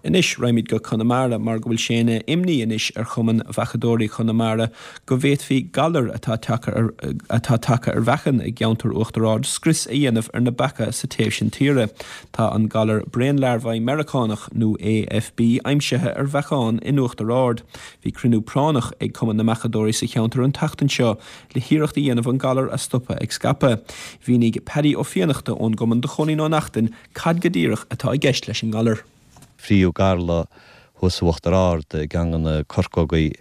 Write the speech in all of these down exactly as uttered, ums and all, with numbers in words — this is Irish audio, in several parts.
Anois raghaimid go Conamara mar go bhfuil sé ina imní anois ar Chumann Bheachadóirí Chonamara go bhféadfaí galar atá atá tagtha ar mheachain i gceantar Uachtar Ard scrios a dhéanamh ar na beacha sa taobh sin tíre. Tá an galar braonlarbhaí Meiriceánach nó AFB aimsithe ar mheachain in Uachtar Ard. Bhí cruinniú práinneach ag Cumann na mBeachadóirí sa cheantar an tseachtain seo le hiarracht a dhéanamh an galar a stopadh ag scaipeadh. Mhínigh Paddy Ó Fiannachta ón gcumann do Chóilín Ó Neachtain cad go díreach atá i gceist leis an ngalar. Fríothadh galar thuas Uachtar Ard i gceann de na corcógaí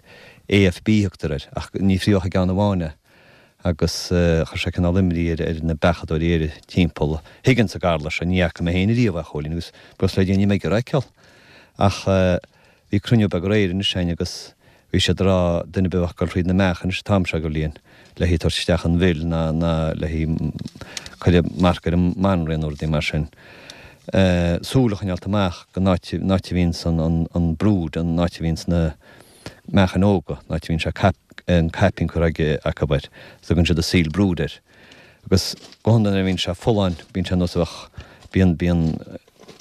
AFB thugtar air, ach ní fríothadh ach i gceann amháin é agus chuir sé cineál imní ar ar na beachadóirí ar timpeall. Thuigeann sa galar seo, ní fhaca mé féin ariamh é, a Chóilín, agus buíochas le Dia ní mbeidh ar fheiceáil. Ach bhí cruinniú beag aréir anois againn agus Bhí siad ag rá duine ar bith a bheadh ag dul thríd na meáchain anois an t-am seo de bhliain le haghaidh tabhairt isteach an mhil ná ná le haghaidh cuireadh marc ar an mbanríon nó rudaí mar sin. Súil a choinneáilt amach don áit an áit a bhíonns an an an brood an áit a bhíonns na meachain óga an áit a bhíonn sé cap an caipín curtha aige acu air tugann siad a sealed brood air. Agus go hiondúil nuair a bhíonn sé folláin bíonn sé nós a bheadh bíonn bíonn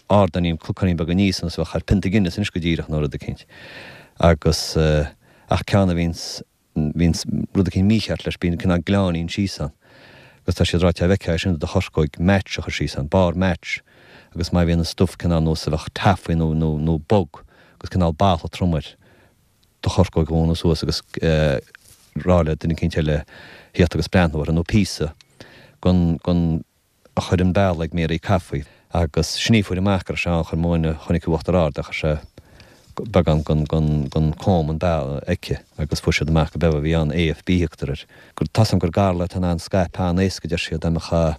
ardáinín cnocáinín beag aníos nós a bheadh ar pionta Guinness anois go díreach nó rud eicínt. Agus ach ceann a bhíonns, bhíonns rud eicínt mícheart leis, bíonn cineál gleannáinín síos ann. Agus tá siad ag rá dá bhfeicfeá é sin i do chorcóig, match a chur síos ann, barr match. Agus má bhíonn an stuif cineál nós a bheadh taffy nó, nó, nó bog agus cineál balla trom air, do chorcóig a dhúnadh suas agus rá le duine eicínt eile thíocht agus breathnú orthu, nó píosa gon, gon, a chuir an bealach ag Mary Caffrey agus sin í a fuair amach go raibh sé ann chuir mo dhuine chonaic i Uachtar Ard é chuir sé beagán gon gon gon comb an bealach aici agus fuair siad amach go b'ea a bhí ann AFB thugtar air gur tá 's agam gur galar atá in ann scaipeadh an-éasca deir siad dá mbeadh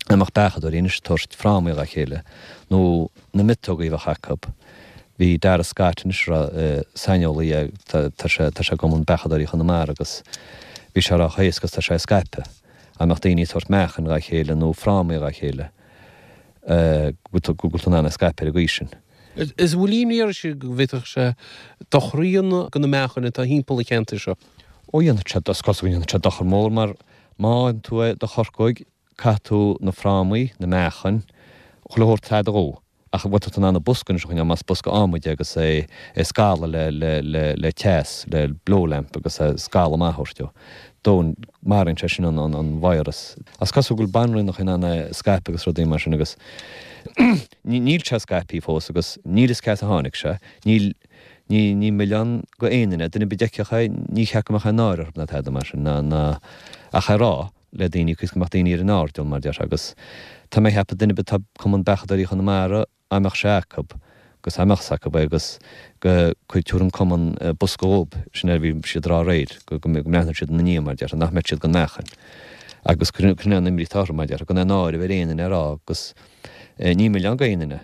dá mbeadh beachadóirí anois ag tabhairt frámaí dá chéile nó na miotógaí a bheadh acu bhí Dara Scott anois ag rá saineolaí é tá tá sé tá sé i gCumann Beachadóirí Chonamara agus bhí sé ag rá chomh héasca is tá sé ag scaipeadh. Dá mbeadh daoine ag tabhairt meáchain dhá chéile nó frámaí dhá chéile, go bhfuil tú in ann é a scaipeadh ar an gcaoi sin. Is bhfuil imní oraibhse go bhféadfadh sé dochar a dhéanamh do na meáchain atá thimpeall an cheantair seo? Ó dhéanfadh sé, is cosúil go ndéanfadh sé dochar mór mar má fhaigheann tú é i do chorcóig, caithfidh tú na frámaí, na meáchain, chuile shórt a dhó. Ach bhfuil tú in ann an bosca anois a choinneáil, más bosca adhmaid é agus é a scalladh le, le, le, le teas, le blow lamp agus é a scalladh amach a thabhairt dó. Dó, maraíonn sé sin an, an, an virus. Is cosúil go bhfuil banríonacha in ann é a scaipeadh agus rudaí mar sin agus ní, níl sé scaipthe fós agus níl fhios cá as a tháinig sé. Níl, ní, ní milleán go aon duine, duine ar bith a d'fheicfeadh é, ní cheart go mbeadh aon náire orthu ná tada mar sin, ná, ná, ach é a rá. le daoine agus go mbeadh daoine ar an airdeall, mar déarfá, agus tá mé ag ceapadh duine ar bith atá Cumann Beachadóirí Chonamara, dá mbeadh sé acu, agus dá mbeadh acu é agus go cuid tabharfaidh an Cumann bosca dhób, sin é a bhí siad ag rá aréir, go go mbreathnódh siad ina ndiaidh, mar déarfá, nach mbeadh siad gan meáchan. Agus sin é an imní atá orthu, mar déarfá, gan aon náire a bheith ar aon duine a rá agus ní milleán go aon duine.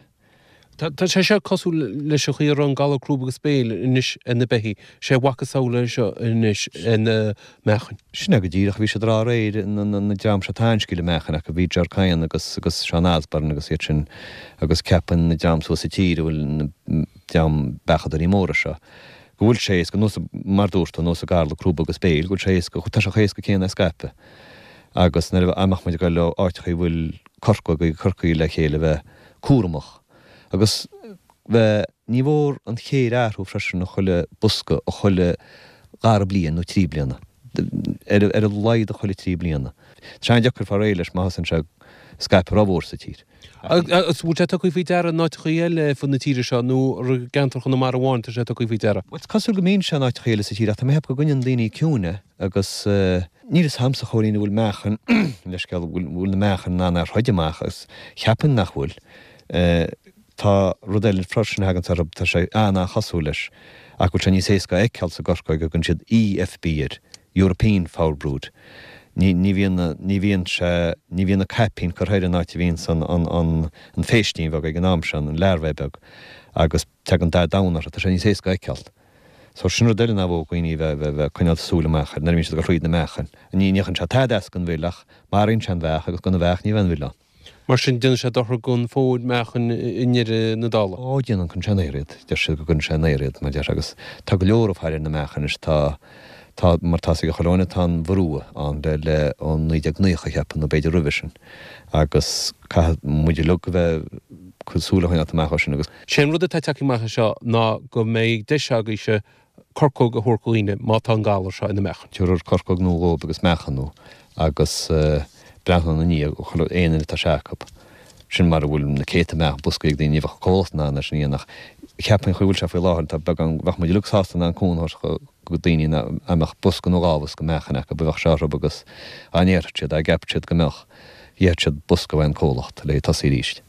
Tá sé seo cosúil leis an chaoi a raibh an galar crúb agus béil anois ar na beithígh. Sé a mhacasamhail é seo anois ar na meáchain. Sin é go díreach. Bhí siad ag rá aréir, na dream seo atá an-scil i meáchain acu, bhí Ger Kyan agus agus Seán Osborne agus iad sin agus ceapann na dream suas sa tír a bhfuil na dream beachadóirí móra seo go bhfuil sé éasca, nós mar dúirt tú, nós an galar crúb agus béil, go bhfuil sé éasca, tá sé chomh héasca céanna é a scaipeadh. Agus nuair a mbeadh muid ag dul ó áiteachaí a bhfuil corcógaí, corcaí le chéile bheith cúramach. Agus bheith, ní mhór an chéir a athrú freisin i chuile bosca, i chuile dhara bliain nó trí bliana, ar a laghad i chuile trí bliana. Tá sé an-deacair fáil réidh leis má thosaíonn sé ag scaipeadh rómhór sa tír. Agus bhfuil sé tugtha faoi deara in áiteachaí eile ar fud na tíre seo nó ar i gceantar Chonamara amháin tá sé tugtha faoi deara? Bhuel, is cosúil go mbíonn sé in áiteachaí eile sa tír ach tá mé ag ceapadh go gcoinníonn daoine ciúin é agus níl fhios a'msa a Chóilín an bhfuil meáchan, leithscéal, bhfuil na meáchain in ann é a throid amach agus cheapfainn nach bhfuil. Tá rud eile freisin a thaganns orthu, tá sé an-an-chosúil leis, ach go bhfuil sé níos éasca a fheiceáil sa gcorcóig, thugann siad EFB air, European Foulbrood. Ní, ní bhíonn na, ní bhíonn sé, ní bhíonn na caipín curtha air an áit a bhíonns an, an, an, an phéistín bheag ag an am seo, an larvae beag, agus tagann dath donn orthu, tá sé níos éasca a fheiceáil. So sin rud eile nár mhór dhaoine a bheith, bheith, bheith coinneáil súil amach air nuair a bhíonn siad ag dul thríd na meáchain. Ní, ní dhéanann sé tada as don mhil ach maraíonn sé an bheach agus gan an bheach ní bheidh an mhil ann. Mar sin, déanann sé dochar don phód meáchain i ndeireadh na dála. Ó, déanann, cuireann sé in aer iad. Deir siad go gcuireann sé in aer iad, mar deir, agus tá go leor ag faire ar na meáchain anois, tá, Tá, mar tá 'fhios ag chuile dhuine, tá an Mharua ann le, le, ó naoi déag naocha, cheapfainn, nó b'fhéidir roimhe sin, agus caithfidh muid uilig a bheith ag súil a choinneáilt amach ó sin agus. Sé an rud atá tagtha amach anseo ná go mbeidh deis agaibhse corcóg a thabhairt do dhaoine má tá an galar seo ina meáchan. Tabharfar corcóg nua dhóibh agus meáchan nua agus breathnú ina ndiaidh chuile aon duine atá sé acu. Sin mar a bhfuil na céadta meáchan boscaí ag daoine, ní bheadh an comhlacht in ann é sin a dhéanamh ach cheapfainn an chaoi a bhfuil sé faoi láthair tá beagán, bheadh muid uilig sásta in ann cúnamh a thabhairt do daoine a mbeadh bosca nó dhá bhosca meáchain acu a bheadh sé orthu agus dá ndéarfadh siad, dá gceapfadh siad go mbeadh, gheobhadh siad bosca ón comhlacht le tosaí arís.